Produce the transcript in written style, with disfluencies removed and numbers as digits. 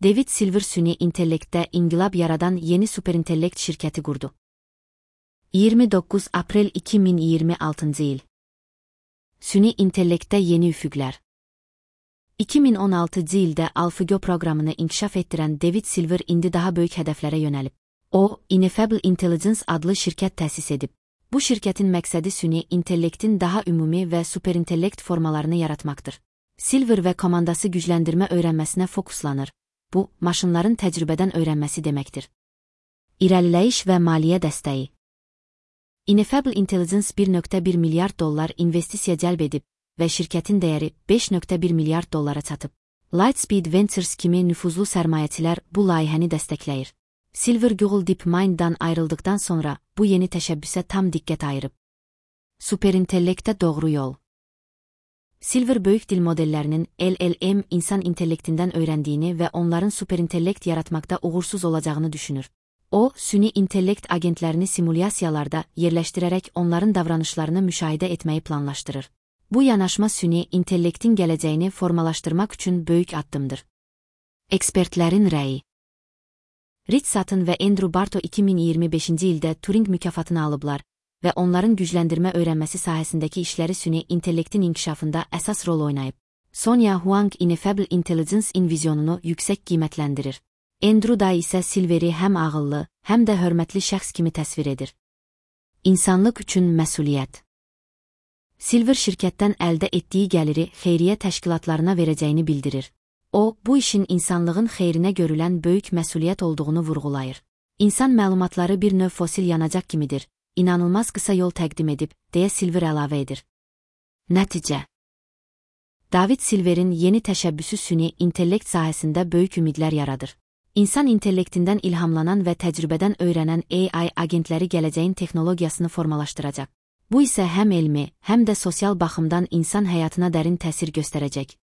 David Silver süni intellektdə inqilab yaradan yeni superintellekt şirkəti qurdu. 29 aprel 2026 il. Süni intellektdə yeni üfüqlər. 2016 ildə AlphaGo proqramını inkişaf etdirən David Silver indi daha böyük hədəflərə yönəlib. O, Ineffable Intelligence adlı şirkət təsis edib. Bu şirkətin məqsədi süni intellektin daha ümumi və superintellekt formalarını yaratmaqdır. Silver və komandası gücləndirmə öyrənməsinə fokuslanır. Bu, maşınların təcrübədən öyrənməsi deməkdir. İrəliləyiş və maliyyə dəstəyi. Ineffable Intelligence $1.1 milyard investisiya cəlb edib və şirkətin dəyəri $5.1 milyard çatıb. Lightspeed Ventures kimi nüfuzlu sərmayəçilər bu layihəni dəstəkləyir. Silver Google DeepMind'dan ayrıldıqdan sonra bu yeni təşəbbüsə tam diqqət ayırıb. Superintellektə doğru yol. Silver böyük dil modellərinin LLM insan intellektindən öyrəndiyini və onların superintellekt yaratmaqda uğursuz olacağını düşünür. O, süni intellekt agentlərini simulyasiyalarda yerləşdirərək onların davranışlarını müşahidə etməyi planlaşdırır. Bu yanaşma süni intellektin gələcəyini formalaşdırmaq üçün böyük addımdır. Ekspertlərin rəyi. Rich Sutton və Andrew Barto 2025-ci ildə Turing mükafatını alıblar və onların gücləndirmə öyrənməsi sahəsindəki işləri süni intellektin inkişafında əsas rol oynayıb. Sonia Huang Ineffable Intelligence-in vizyonunu yüksək qiymətləndirir. Andrew Day isə Silveri həm ağıllı, həm də hörmətli şəxs kimi təsvir edir. İnsanlıq üçün məsuliyyət. Silver şirkətdən əldə etdiyi gəliri xeyriyyə təşkilatlarına verəcəyini bildirir. O, bu işin insanlığın xeyrinə görülən böyük məsuliyyət olduğunu vurğulayır. İnsan məlumatları bir növ fosil yanacaq kimidir, inanılmaz qısa yol təqdim edib, deyə Silver əlavə edir. Nəticə. David Silverin yeni təşəbbüsü süni intellekt sahəsində böyük ümidlər yaradır. İnsan intellektindən ilhamlanan və təcrübədən öyrənən AI agentləri gələcəyin texnologiyasını formalaşdıracaq. Bu isə həm elmi, həm də sosial baxımdan insan həyatına dərin təsir göstərəcək.